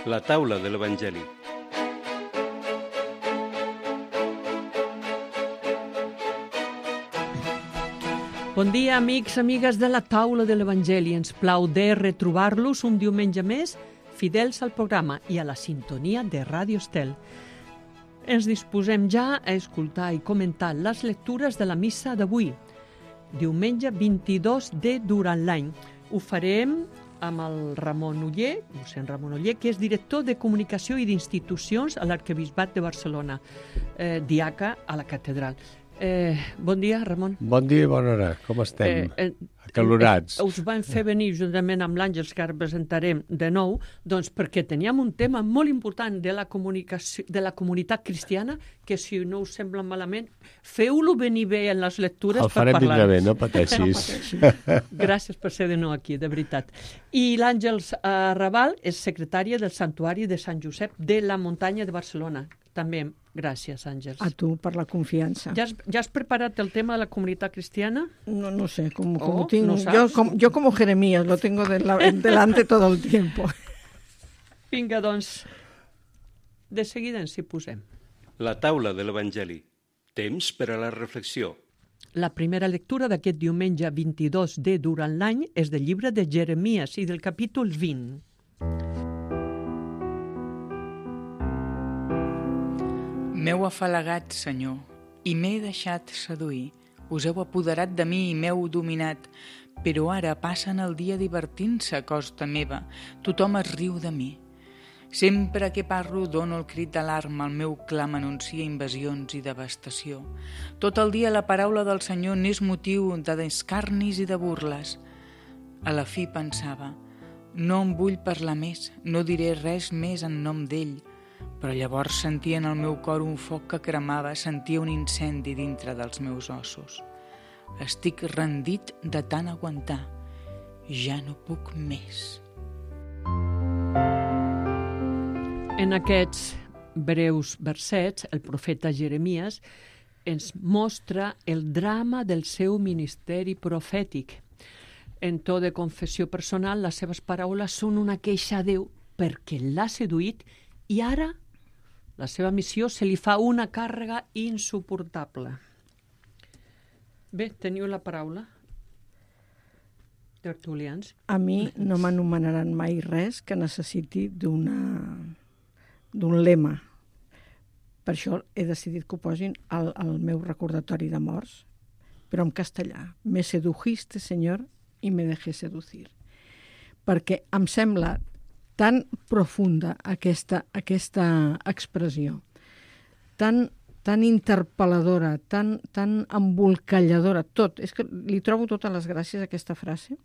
La taula de l'Evangeli. Bon dia, amics, amigues de la taula de l'Evangeli. Ens plau de retrobar-los un diumenge més, fidels al programa i a la sintonia de Ràdio Estel. Ens disposem ja a escoltar i comentar les lectures de la missa d'avui, diumenge 22 de durant l'any. Ho farem amb el Ramon Oller, mossèn Ramon Oller, que és director de Comunicació i d'Institucions a l'Arquebisbat de Barcelona, diaca a la catedral. Bon dia, Ramon. Bon dia i bona hora. Com estem? Acalorats. Us van fer venir juntament amb l'Àngels, que ara presentarem de nou, doncs perquè teníem un tema molt important de la comunicació, de la comunitat cristiana, que si no us sembla malament, feu-lo venir bé en les lectures per parlar. El farem vindre bé, no pateixis. Gràcies per ser de nou aquí, de veritat. I l'Àngels Raval és secretària del Santuari de Sant Josep de la Muntanya de Barcelona. També gràcies, Àngels. A tu, per la confiança. ¿Ya has preparat el tema de la comunidad cristiana? No sé, como tengo, no yo como Jeremías, lo tengo delante todo el tiempo. Vinga, doncs, de seguida ens hi posem. La taula de l'Evangeli. Temps per a la reflexió. La primera lectura d'aquest diumenge 22 de durant l'any és del llibre de Jeremies i del capítol 20. M'heu afalagat, Senyor, i m'he deixat seduir. Us heu apoderat de mi i m'heu dominat, però ara passen el dia divertint-se a costa meva. Tothom es riu de mi. Sempre que parlo dono el crit d'alarma, el meu clam anuncia invasions i devastació. Tot el dia la paraula del Senyor n'és motiu de descarnis i de burles. A la fi pensava, no em vull parlar més, no diré res més en nom d'ell, però llavors sentia en el meu cor un foc que cremava, sentia un incendi dintre dels meus ossos. Estic rendit de tant aguantar. Ja no puc més. En aquests breus versets, el profeta Jeremies ens mostra el drama del seu ministeri profètic. En to de confessió personal, les seves paraules són una queixa a Déu perquè l'ha seduït i ara la seva missió se li fa una càrrega insuportable. Bé, teniu la paraula, tertulians. A mi no m'anomenaran mai res que necessiti d'un lema. Per això he decidit que ho posin al meu recordatori de morts, però en castellà. Me sedujiste, Senyor, i me dejé seducir. Perquè em sembla tan profunda aquesta expressió, tan interpel·ladora, tan embolcalladora, tot. És que li trobo totes les gràcies a aquesta frase.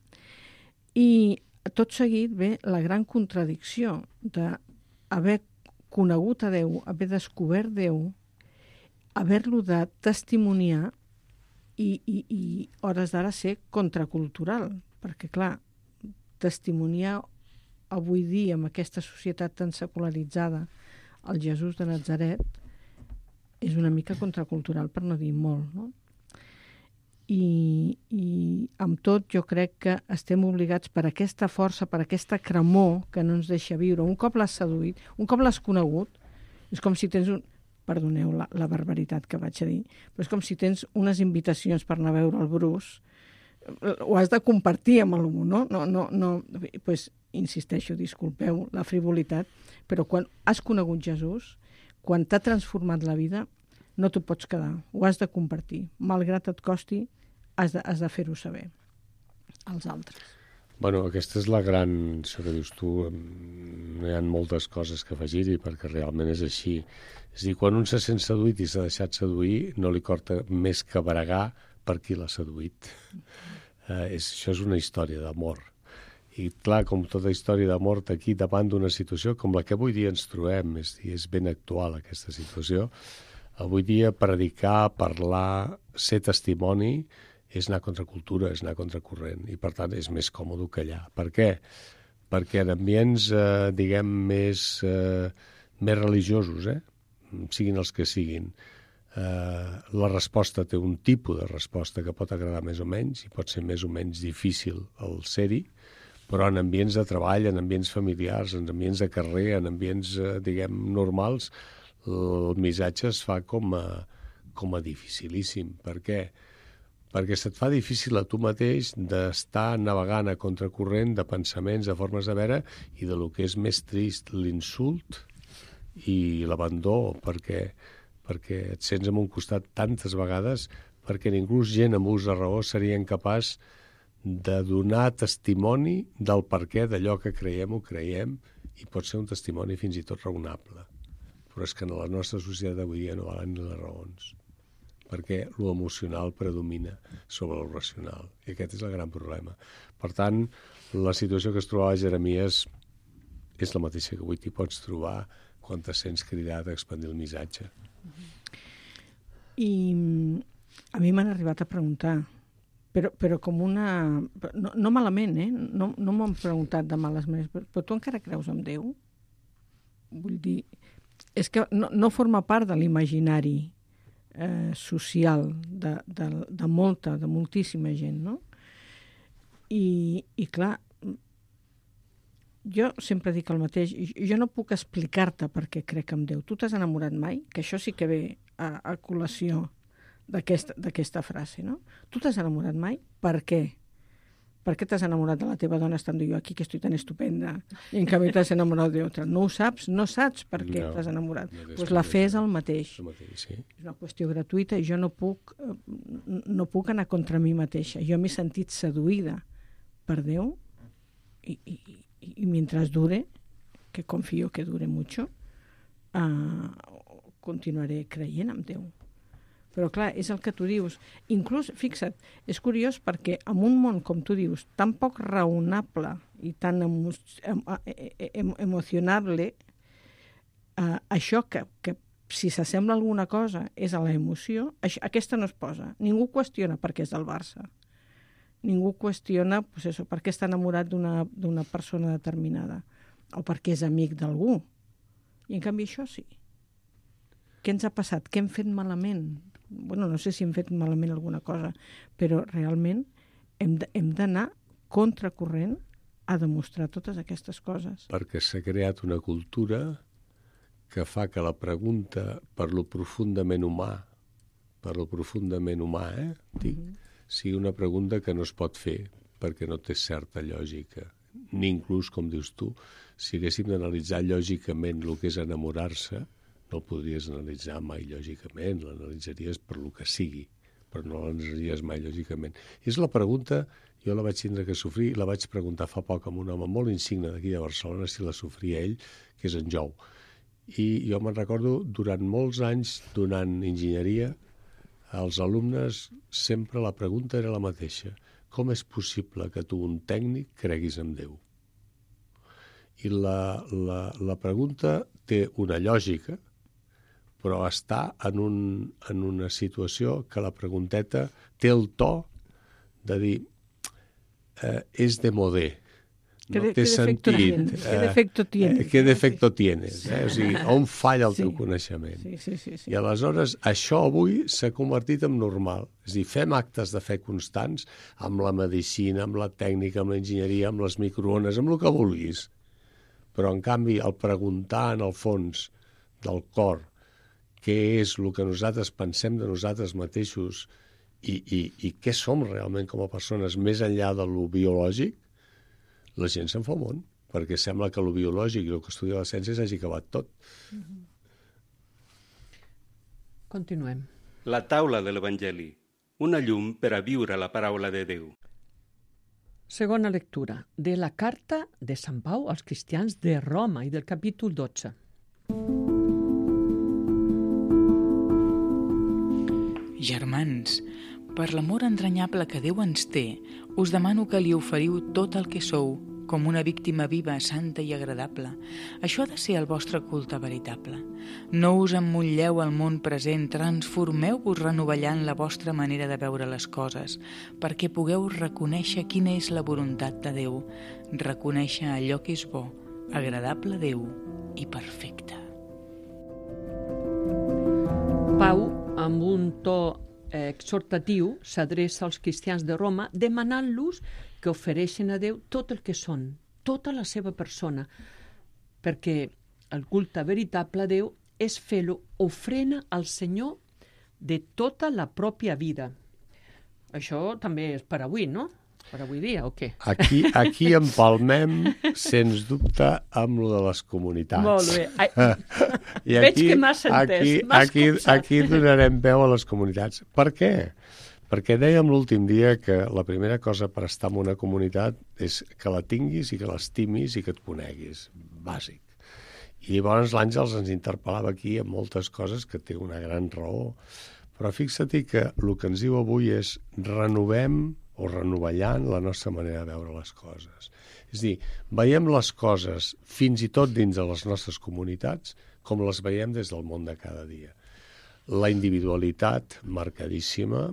I tot seguit ve la gran contradicció d'haver conegut a Déu, haver descobert Déu, haver-lo de testimoniar i hores d'ara ser contracultural. Perquè, clar, testimoniar avui dia, amb aquesta societat tan secularitzada, el Jesús de Natzaret, és una mica contracultural, per no dir molt, no? I amb tot jo crec que estem obligats per aquesta força, per aquesta cremor que no ens deixa viure. Un cop l'has seduït, un cop l'has conegut, és com si tens perdoneu la barbaritat que vaig a dir, però és com si tens unes invitacions per anar a veure el Bruce, ho has de compartir amb algú, no? Pues, insisteixo, disculpeu la frivolitat, però quan has conegut Jesús, quan t'ha transformat la vida, no t'ho pots quedar, ho has de compartir. Malgrat et costi, has de fer-ho saber als altres. Bueno, aquesta és la gran, això que dius tu, hi ha moltes coses que afegir-hi perquè realment és així. És a dir, quan un se sent seduït i s'ha deixat seduir, no li corta més que bregar per qui l'ha seduït. Això és una història d'amor. I clar, com tota història d'amor, aquí davant d'una situació com la que avui dia ens trobem, és ben actual aquesta situació. Avui dia predicar, parlar, ser testimoni és anar contra cultura, és anar contra corrent, i per tant és més còmode callar. Per què? Perquè en ambients, diguem, més religiosos, siguin els que siguin, la resposta té un tipus de resposta que pot agradar més o menys i pot ser més o menys difícil el ser-hi, però en ambients de treball, en ambients familiars, en ambients de carrer, en ambients, diguem, normals, el missatge es fa com a dificilíssim. Per què? Perquè se't fa difícil a tu mateix d'estar navegant a contracorrent de pensaments, de formes de veure, i de lo que és més trist, l'insult i l'abandó, perquè et sents en un costat tantes vegades, perquè ningú gent amb ús de raó seria incapaç de donar testimoni del perquè d'allò que creiem o creiem, i pot ser un testimoni fins i tot raonable. Però és que en la nostra societat d'avui dia no valen ni les raons, perquè lo emocional predomina sobre lo racional, i aquest és el gran problema. Per tant, la situació que es trobava Jeremies és la mateixa que avui t'hi pots trobar quan te sents cridat a expandir el missatge. I a mi m'han arribat a preguntar, però com una... No malament, No m'han preguntat de males maneres, però tu encara creus en Déu? Vull dir, és que no forma part de l'imaginari social de moltíssima gent, no? I clar, jo sempre dic el mateix, jo no puc explicar-te per què crec en Déu. Tu t'has enamorat mai? Que això sí que ve a col·lació d'aquesta frase, no? Tu t'has enamorat mai? Per què? Per què t'has enamorat de la teva dona estant jo aquí, que estic tan estupenda, i en canvi t'has enamorat d'altra? No ho saps? No saps per què t'has enamorat? Doncs la fe és el mateix. Sí. És una qüestió gratuïta i jo no puc anar contra mi mateixa. Jo m'he sentit seduïda per Déu i mentre dure, que confio que dure mucho, continuaré creient en Déu. Però clar, és el que tu dius. Inclús, fixa't, és curiós perquè en un món, com tu dius, tan poc raonable i tan emocionable, això que si s'assembla a alguna cosa és a l'emoció, aquesta no es posa. Ningú qüestiona per què és del Barça. Ningú qüestiona per què està enamorat d'una persona determinada o per què és amic d'algú. I en canvi això sí. Què ens ha passat? Què hem fet malament? Bueno, no sé si hem fet malament alguna cosa, però realment hem d'anar contracorrent a demostrar totes aquestes coses. Perquè s'ha creat una cultura que fa que la pregunta per lo profundament humà, dic, sigui una pregunta que no es pot fer perquè no té certa lògica. Ni inclús, com dius tu, si haguéssim d'analitzar lògicament el que és enamorar-se, no el podries analitzar mai lògicament, l'analitzaries per lo que sigui, però no l'analitzaries mai lògicament. És la pregunta, jo la vaig tindre que sofrir, la vaig preguntar fa poc a un home molt insigne d'aquí de Barcelona si la sofria ell, que és en Jou. I jo me'n recordo, durant molts anys, donant enginyeria, als alumnes sempre la pregunta era la mateixa. Com és possible que tu, un tècnic, creguis en Déu? I la pregunta té una lògica, però està en una situació que la pregunteta té el to de dir és de modé, no té sentit. ¿Qué defecto tienes? ¿Qué defecto tienes? O sigui, on falla el teu coneixement? Sí. I aleshores això avui s'ha convertit en normal. És a dir, fem actes de fe constants amb la medicina, amb la tècnica, amb l'enginyeria, amb les microones, amb el que vulguis. Però, en canvi, el preguntar en el fons del cor què és el que nosaltres pensem de nosaltres mateixos i què som realment com a persones més enllà de lo biològic, la gent se'n fa un món, perquè sembla que lo biològic i el que estudia la ciència s'hagi acabat tot. Continuem. La taula de l'Evangeli, una llum per a viure la paraula de Déu. Segona lectura de la carta de Sant Pau als cristians de Roma i del capítol 12. Germans, per l'amor entranyable que Déu ens té, us demano que li oferiu tot el que sou, com una víctima viva, santa i agradable. Això ha de ser el vostre culte veritable. No us emmotlleu al món present, transformeu-vos renovellant la vostra manera de veure les coses, perquè pugueu reconèixer quina és la voluntat de Déu, reconèixer allò que és bo, agradable a Déu i perfecte. Pau, amb un to exhortatiu, s'adreça als cristians de Roma demanant-los que ofereixen a Déu tot el que són, tota la seva persona, perquè el culte veritable a Déu és fer-lo ofrena al Senyor de tota la pròpia vida. Això també és per avui, no? Per avui dia, o què? Aquí empalmem, sens dubte, amb lo de les comunitats. Molt bé. Veig que m'has entès. Aquí donarem veu a les comunitats. Per què? Perquè dèiem l'últim dia que la primera cosa per estar en una comunitat és que la tinguis i que l'estimis i que et coneguis. Bàsic. I llavors l'Àngels ens interpel·lava aquí amb moltes coses que té una gran raó. Però fixa't que el que ens diu avui és renovem o renovellant la nostra manera de veure les coses. És a dir, veiem les coses fins i tot dins de les nostres comunitats com les veiem des del món de cada dia. La individualitat marcadíssima,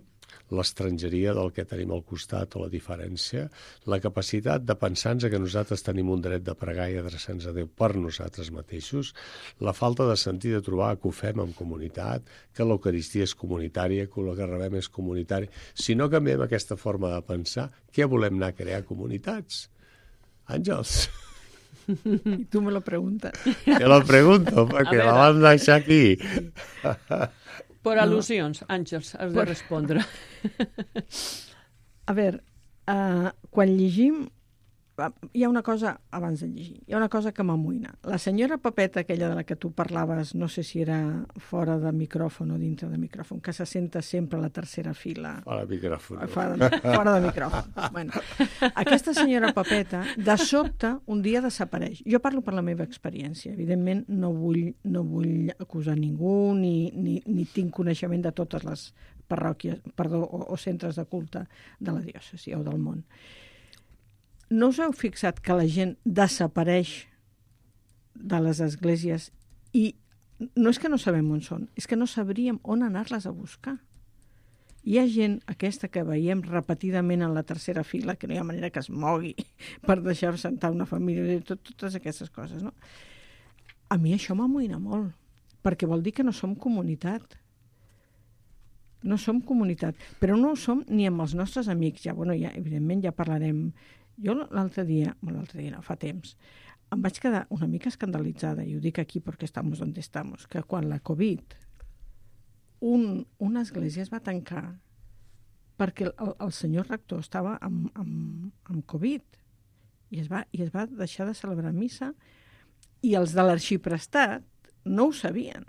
l'estrangeria del que tenim al costat o la diferència, la capacitat de pensar-nos que nosaltres tenim un dret de pregar i adreçar-nos a Déu per nosaltres mateixos, la falta de sentir de trobar que ho fem en comunitat, que l'Eucaristia és comunitària, que el que rebem és comunitari. Si no canviem aquesta forma de pensar, què volem anar a crear comunitats? Àngels? I tu me lo preguntes. Te lo pregunto, perquè la vam deixar aquí. Per al·lusions, Àngels, has de respondre. A veure, quan llegim, hi ha una cosa, abans de llegir, hi ha una cosa que m'amoïna. La senyora Pepeta, aquella de la que tu parlaves, no sé si era fora de micròfon o dintre de micròfon, que se senta sempre a la tercera fila. Fora de micròfon. Fora de micròfon. Bueno, aquesta senyora Pepeta, de sobte, un dia desapareix. Jo parlo per la meva experiència. Evidentment, no vull acusar ningú, ni tinc coneixement de totes les parròquies, o centres de culte de la diòcesi o del món. No us heu fixat que la gent desapareix de les esglésies i no és que no sabem on són, és que no sabríem on anar-les a buscar. Hi ha gent, aquesta que veiem repetidament en la tercera fila, que no hi ha manera que es mogui per deixar sentar una família, totes aquestes coses, no? A mi això m'amoïna molt, perquè vol dir que no som comunitat. No som comunitat, però no ho som ni amb els nostres amics. Evidentment ja parlarem. Jo l'altre dia, fa temps, em vaig quedar una mica escandalitzada, i ho dic aquí perquè estamos donde estamos, que quan la Covid, una església es va tancar perquè el senyor rector estava amb Covid i es va deixar de celebrar missa i els de l'arxiprestat no ho sabien.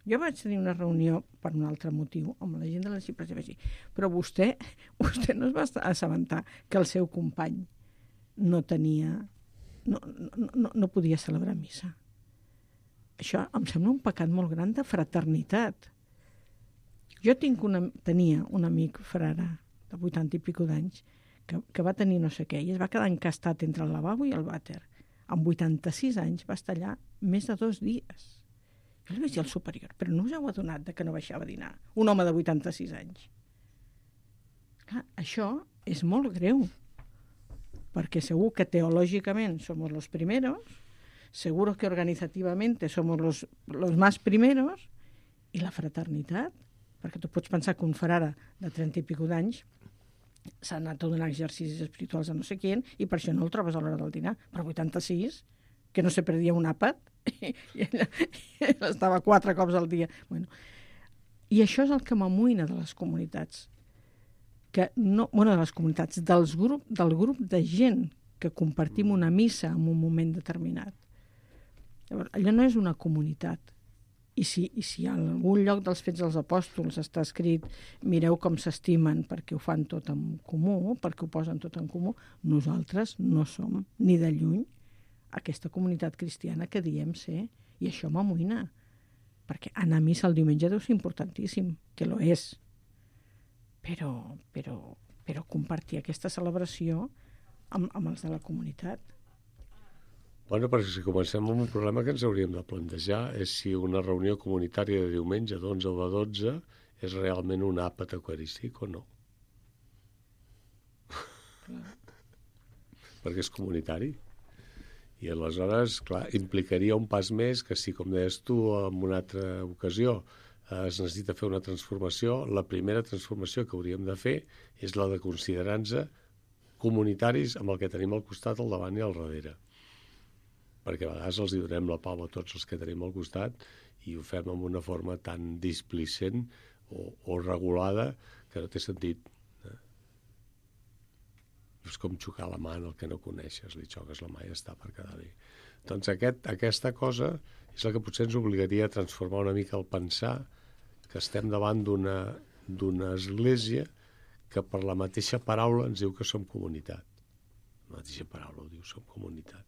Jo vaig tenir una reunió per un altre motiu amb la gent de l'arxiprestat i vaig dir, però vostè no es va assabentar que el seu company no podia celebrar missa. Això em sembla un pecat molt gran de fraternitat. Jo tenia un amic frare de 80 i pico d'anys que va tenir no sé què i es va quedar encastat entre el lavabo i el vàter. Amb 86 anys va estar allà més de 2 dies. Jo li vaig dir al superior, però no us heu adonat que no baixava a dinar? Un home de 86 anys. Clar, això és molt greu, perquè segur que teològicament somos los primeros, seguro que organizativamente somos los más primeros, i la fraternitat, perquè tu pots pensar que un frare de 30 i pico d'anys s'ha anat a donar exercicis espirituals a no sé qui, i per això no el trobes a l'hora del dinar, però 86, que no se perdia un àpat, i ella estava 4 cops al dia. Bueno, i això és el que m'amoïna de les comunitats. De les comunitats, del grup de gent que compartim una missa en un moment determinat. Llavors, allò no és una comunitat. I si a algun lloc dels Fets dels Apòstols està escrit mireu com s'estimen perquè ho fan tot en comú, perquè ho posen tot en comú, nosaltres no som ni de lluny aquesta comunitat cristiana que diem ser, i això m'amoïna, perquè anar a missa el diumenge deu ser importantíssim, que lo és, però compartir aquesta celebració amb els de la comunitat. Bueno, perquè si comencem amb un problema que ens hauríem de plantejar és si una reunió comunitària de diumenge d'11 o de 12 és realment un àpat eucarístic o no. Perquè és comunitari. I aleshores, clar, implicaria un pas més que si, com deies tu en una altra ocasió, es necessita fer una transformació, la primera transformació que hauríem de fer és la de considerar-nos comunitaris amb el que tenim al costat, al davant i al darrere. Perquè a vegades els hi donem la pau a tots els que tenim al costat i ho fem amb una forma tan displicent o regulada que no té sentit. És com xocar la mà en el que no coneixes, li xoques la mà i ja està per quedar bé. Doncs aquesta cosa és la que potser ens obligaria a transformar una mica el pensar que estem davant d'una església que per la mateixa paraula ens diu que som comunitat. La mateixa paraula ho diu, som comunitat.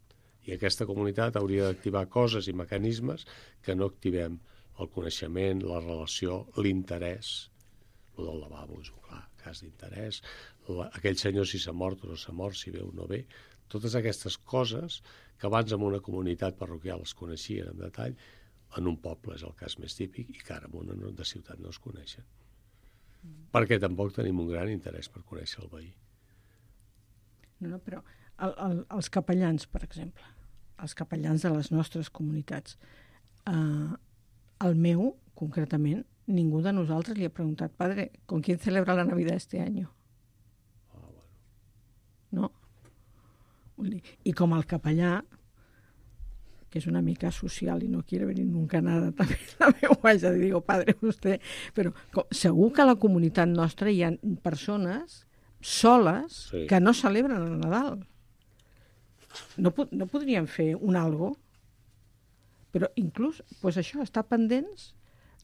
I aquesta comunitat hauria d'activar coses i mecanismes que no activem: el coneixement, la relació, l'interès. El del lavabo és un clar cas d'interès. Aquell senyor si s'ha mort o no s'ha mort, si ve o no ve. Totes aquestes coses que abans en una comunitat parroquial es coneixien en detall, en un poble és el cas més típic i que ara en una de ciutat no es coneixen. Perquè tampoc tenim un gran interès per conèixer el veí. No, però els capellans, per exemple, els capellans de les nostres comunitats, el meu, concretament, ningú de nosaltres li ha preguntat: padre, ¿con quién celebra la Navidad este año? No. I com el capellà, que és una mica social i no quiere venir nunca nada, també la meu vaig a dir, digo, padre, vostè... Però segur que a la comunitat nostra hi ha persones soles que no celebren el Nadal. No podrien fer un algo, però inclús pues això, estar pendents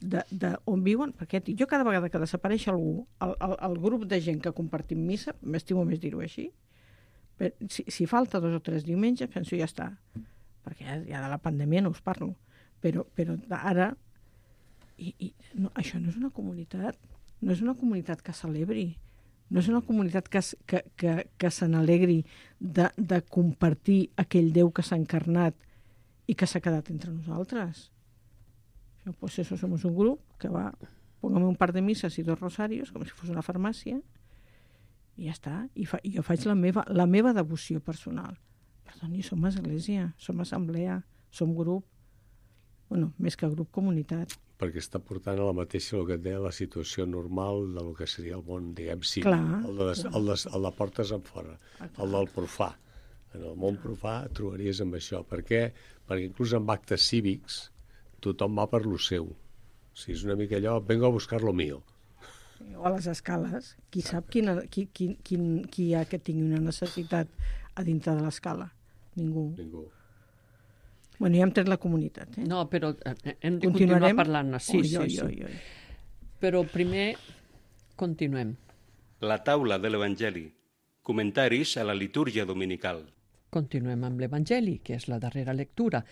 d'on viuen, perquè jo cada vegada que desapareix algú, el grup de gent que compartim missa, m'estimo més dir-ho així, si falta 2 o 3 diumenges, penso ja està, perquè ja de la pandèmia no us parlo, però ara no, això no és una comunitat, no és una comunitat que celebri, no és una comunitat que se n'alegri de compartir aquell Déu que s'ha encarnat i que s'ha quedat entre nosaltres. Pues eso, somos un grup que va, póngame un par de misas y 2 rosarios, com si fos una farmàcia, i ja està. I jo faig la meva devoció personal. Perdoni, som església, som assemblea, som grup, bueno, més que grup, comunitat. Perquè està portant a la mateixa, el que et deia, la situació normal del que seria el món, diguem, civil. El de portes en fora, el del profà. En el món profà trobaries amb això. Per què? Perquè inclús en actes cívics tothom va per lo seu. O sigui, és una mica allò, vengo a buscar lo mío. O a les escales. Qui sap qui hi ha que tingui una necessitat a dintre de l'escala? Ningú. Bueno, ja hem tret la comunitat. No, però hem de continuar parlant. Sí. Però primer continuem. La taula de l'Evangeli. Comentaris a la litúrgia dominical. Continuem amb l'Evangeli, que és la darrera lectura,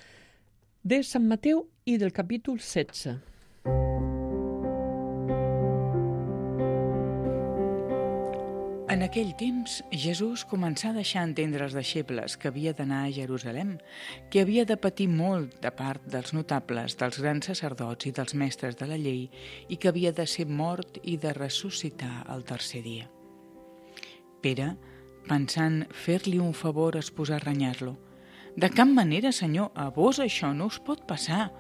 de Sant Mateu i del capítol 16. En aquell temps, Jesús començà a deixar entendre als deixebles que havia d'anar a Jerusalem, que havia de patir molt de part dels notables, dels grans sacerdots i dels mestres de la llei, i que havia de ser mort i de ressuscitar el 3è dia. Pere, pensant fer-li un favor, es posà a renyar-lo. «De cap manera, senyor, a vos això no us pot passar».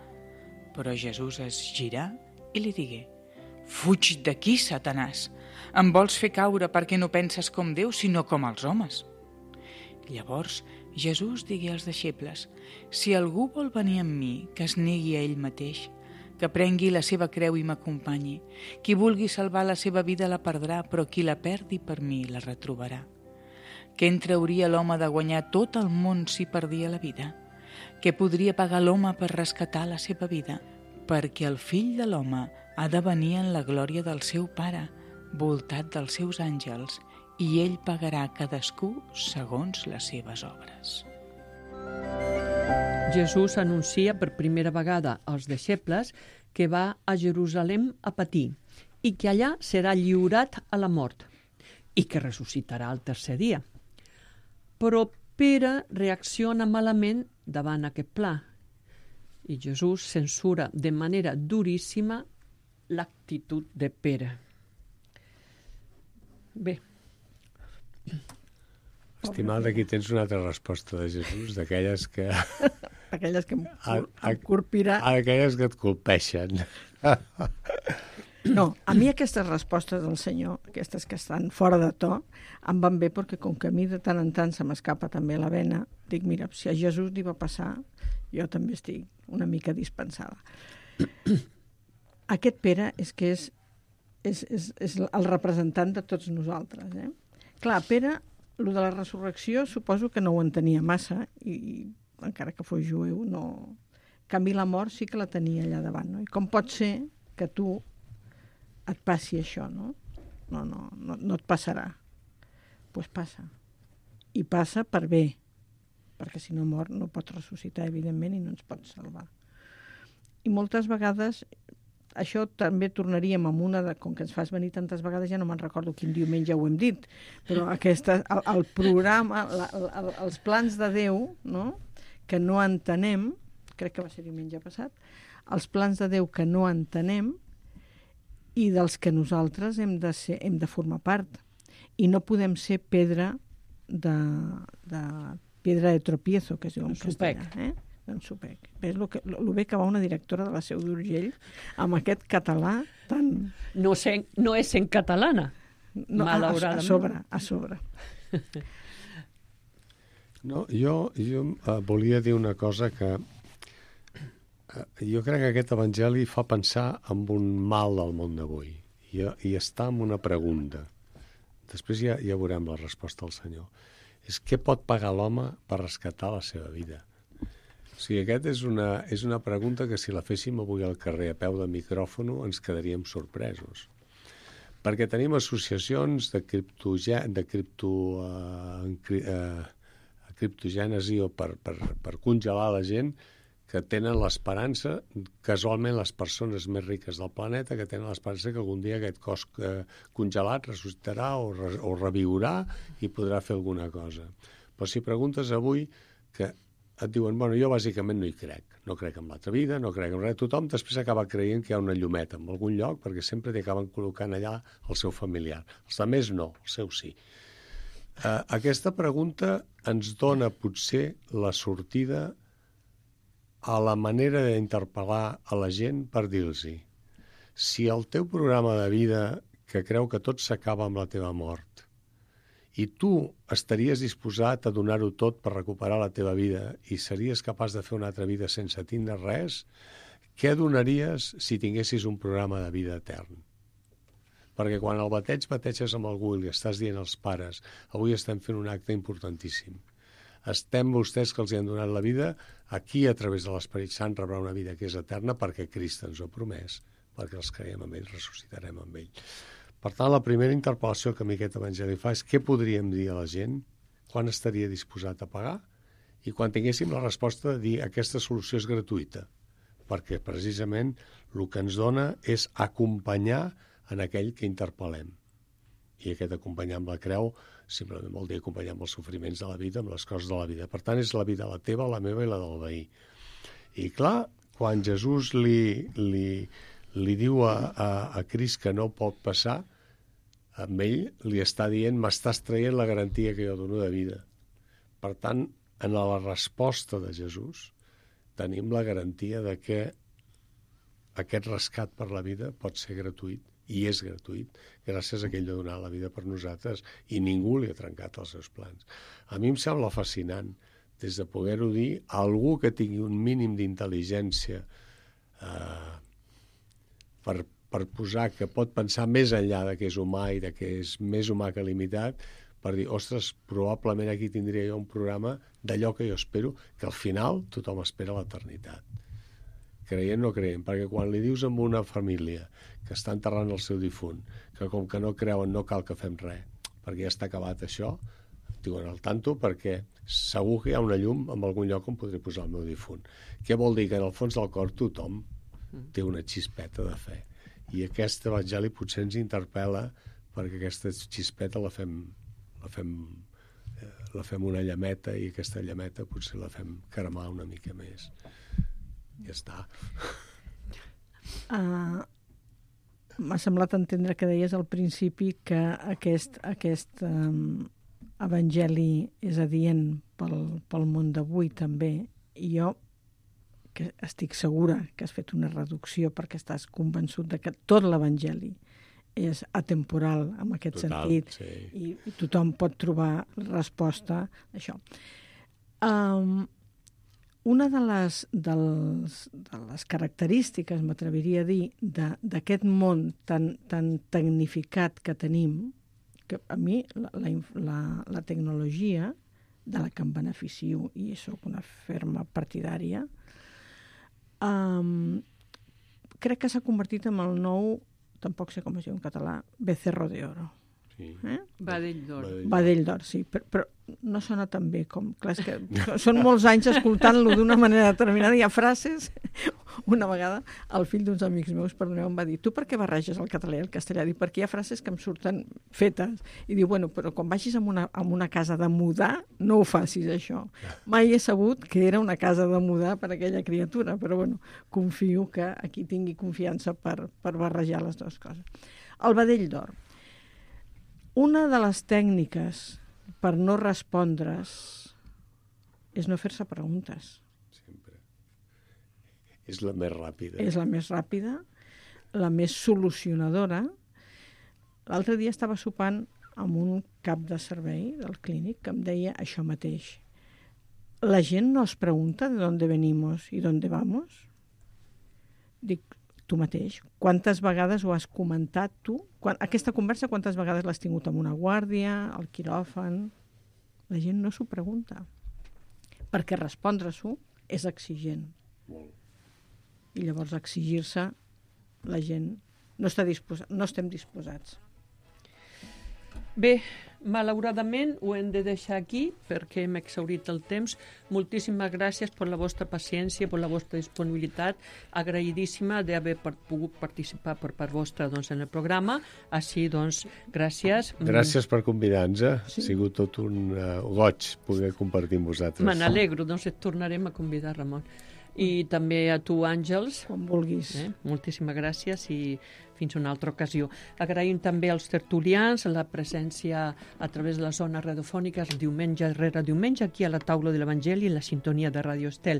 Però Jesús es girà i li digué: «Fuig d'aquí, Satanàs! Em vols fer caure perquè no penses com Déu, sinó com els homes». Llavors Jesús digué als deixebles: «Si algú vol venir amb mi, que es negui a ell mateix, que prengui la seva creu i m'acompanyi. Qui vulgui salvar la seva vida la perdrà, però qui la perdi per mi la retrobarà. Què en trauria l'home de guanyar tot el món si perdia la vida? Què podria pagar l'home per rescatar la seva vida? Perquè el fill de l'home ha de venir en la glòria del seu Pare, voltat dels seus àngels, i ell pagarà cadascú segons les seves obres». Jesús anuncia per primera vegada als deixebles que va a Jerusalem a patir i que allà serà lliurat a la mort i que ressuscitarà el 3è dia. Però Pere reacciona malament davant aquest pla i Jesús censura de manera duríssima l'actitud de Pere. Bé. Estimat, aquí tens una altra resposta de Jesús, d'aquelles que... Aquelles que em corpirà. Aquelles que et colpeixen. No, a mi aquestes respostes del senyor, aquestes que estan fora de to, em van bé perquè com que a mi de tant en tant se m'escapa també la vena, dic, mira, si a Jesús li va passar, jo també estic una mica dispensada. Aquest Pere és que és el representant de tots nosaltres. Clar, Pere, el de la resurrecció, suposo que no ho entenia massa, i encara que fos jueu, no... En canvi, la mort sí que la tenia allà davant. No? I com pot ser que tu et passi això, no? No et passarà. Doncs passa. I passa per bé, perquè si no mor no pots ressuscitar, evidentment, i no ens pots salvar. I moltes vegades, això també tornaríem amb una de... Com que ens fas venir tantes vegades, ja no me'n recordo quin diumenge ho hem dit, però el programa, els plans de Déu, no?, que no entenem, crec que va ser diumenge passat, els plans de Déu que no entenem i dels que nosaltres hem de formar part. I no podem ser pedra de tropiezo, que es diu en castellà. Un supec. Ves el bé que va una directora de la Seu d'Urgell amb aquest català tan... No és en catalana, no, malauradament. A sobre. No, jo volia dir una cosa que jo crec que aquest evangeli fa pensar en un mal del món d'avui i està en una pregunta. Després ja veurem la resposta del Senyor. És què pot pagar l'home per rescatar la seva vida? O sigui, aquesta és una pregunta que si la féssim avui al carrer a peu de micròfon ens quedaríem sorpresos. Perquè tenim associacions de criptogènesi o per congelar la gent que tenen l'esperança, casualment les persones més riques del planeta, que tenen l'esperança que algun dia aquest cos congelat ressuscitarà o reviurà i podrà fer alguna cosa. Però si preguntes avui, que et diuen, bueno, jo bàsicament no hi crec. No crec en l'altra vida, no crec en res. Tothom després acaba creient que hi ha una llumeta en algun lloc perquè sempre t'hi acaben col·locant allà el seu familiar. Els altres no, el seu sí. Aquesta pregunta ens dona potser la sortida a la manera d'interpel·lar a la gent per dir-los si el teu programa de vida que creu que tot s'acaba amb la teva mort i tu estaries disposat a donar-ho tot per recuperar la teva vida i series capaç de fer una altra vida sense tindre res, què donaries si tinguessis un programa de vida etern? Perquè quan el bateges amb algú i li estàs dient als pares avui estem fent un acte importantíssim. Estem vostès que els hi han donat la vida, aquí a través de l'Esperit Sant rebrà una vida que és eterna perquè Crist ens ho ha promès, perquè els creiem en ell, ressuscitarem amb ell. Per tant, la primera interpel·lació que a mi aquest evangeli fa és què podríem dir a la gent, quan estaria disposat a pagar i quan tinguéssim la resposta de dir aquesta solució és gratuïta, perquè precisament el que ens dona és acompanyar en aquell que interpel·lem. I aquest acompanyar amb la creu simplement vol dir acompanyar amb els sofriments de la vida, amb les coses de la vida. Per tant, és la vida la teva, la meva i la del veí. I clar, quan Jesús li diu a Crist que no pot passar, amb ell li està dient m'estàs traient la garantia que jo dono de vida. Per tant, en la resposta de Jesús tenim la garantia de que aquest rescat per la vida pot ser gratuït i és gratuït, gràcies a que ell ha donat la vida per nosaltres i ningú li ha trencat els seus plans. A mi em sembla fascinant, des de poder-ho dir, a algú que tingui un mínim d'intel·ligència per posar que pot pensar més enllà de que és humà i de que és més humà que limitat, per dir, ostres, probablement aquí tindria jo un programa d'allò que jo espero, que al final tothom espera l'eternitat. Creient o no creient, perquè quan li dius a una família que està enterrant el seu difunt, que com que no creuen no cal que fem res, perquè ja està acabat això, diuen al tanto perquè segur que hi ha una llum en algun lloc on podré posar el meu difunt. Què vol dir? Que en el fons del cor tothom té una xispeta de fe. I aquest evangeli potser ens interpel·la perquè aquesta xispeta la fem una llameta i aquesta llameta potser la fem cremar una mica més. Ja està. M'ha semblat entendre que deies al principi que aquest evangeli és adient pel món d'avui també, i jo que estic segura que has fet una reducció perquè estàs convençut de que tot l'Evangeli és atemporal en aquest sentit, i tothom pot trobar resposta a això. Una de les característiques, m'atreviria a dir, d'aquest món tan tecnificat que tenim, que a mi la tecnologia, de la que em beneficio i sóc una ferma partidària, crec que s'ha convertit en el nou, tampoc sé com es diu en català, becerro de oro. Sí. Badell d'or. Badell d'or, sí, però no sona tan bé com... Clar, és que són molts anys escoltant-lo d'una manera determinada. Hi ha frases... Una vegada el fill d'uns amics meus, perdoneu, em va dir: tu per què barreges el català i el castellà? Dic, perquè hi ha frases que em surten fetes. I diu, bueno, però quan vagis a una casa de mudar, no ho facis, això. Mai he sabut que era una casa de mudar per aquella criatura, però bueno, confio que aquí tingui confiança per barrejar les dues coses. El badell d'or. Una de les tècniques per no respondre's és no fer-se preguntes. És la més ràpida. És la més ràpida, la més solucionadora. L'altre dia estava sopant amb un cap de servei del clínic que em deia això mateix. La gent no es pregunta de dónde venimos y dónde vamos? Dic, tu mateix. Quantes vegades ho has comentat tu? Aquesta conversa, quantes vegades l'has tingut amb una guàrdia, al quiròfan? La gent no s'ho pregunta. Perquè respondre-s'ho és exigent. Molt. I llavors exigir-se la gent no estem disposats. Bé, malauradament ho hem de deixar aquí perquè hem exhaurit el temps. Moltíssimes gràcies per la vostra paciència, per la vostra disponibilitat. Agraïdíssima d'haver pogut participar per part vostra en el programa. Així, gràcies. Gràcies per convidar-nos. Sí. Ha sigut tot un goig poder compartir amb vosaltres. Me n'alegro, et tornarem a convidar, Ramon. I també a tu, Àngels. Com vulguis. Moltíssimes gràcies i fins una altra ocasió. Agraïm també als tertulians la presència a través de les zones radiofòniques diumenge rere diumenge aquí a la taula de l'Evangeli en la sintonia de Radio Estel.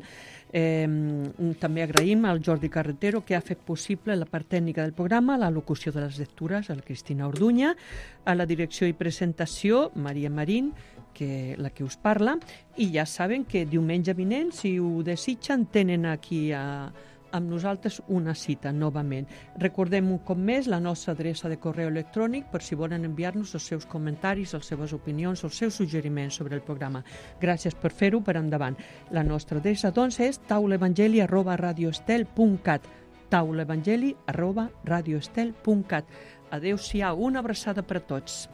També agraïm al Jordi Carretero que ha fet possible la part tècnica del programa, la locució de les lectures, a la Cristina Orduña, a la direcció i presentació, Maria Marín, la que us parla, i ja saben que diumenge vinent, si ho desitgen, tenen aquí amb nosaltres una cita novament. Recordem un cop més la nostra adreça de correu electrònic per si volen enviar-nos els seus comentaris, les seves opinions, els seus suggeriments sobre el programa. Gràcies per fer-ho, per endavant. La nostra adreça, és taulaevangeli@radioestel.cat taulaevangeli@radioestel.cat. Adéu-siau, una abraçada per a tots.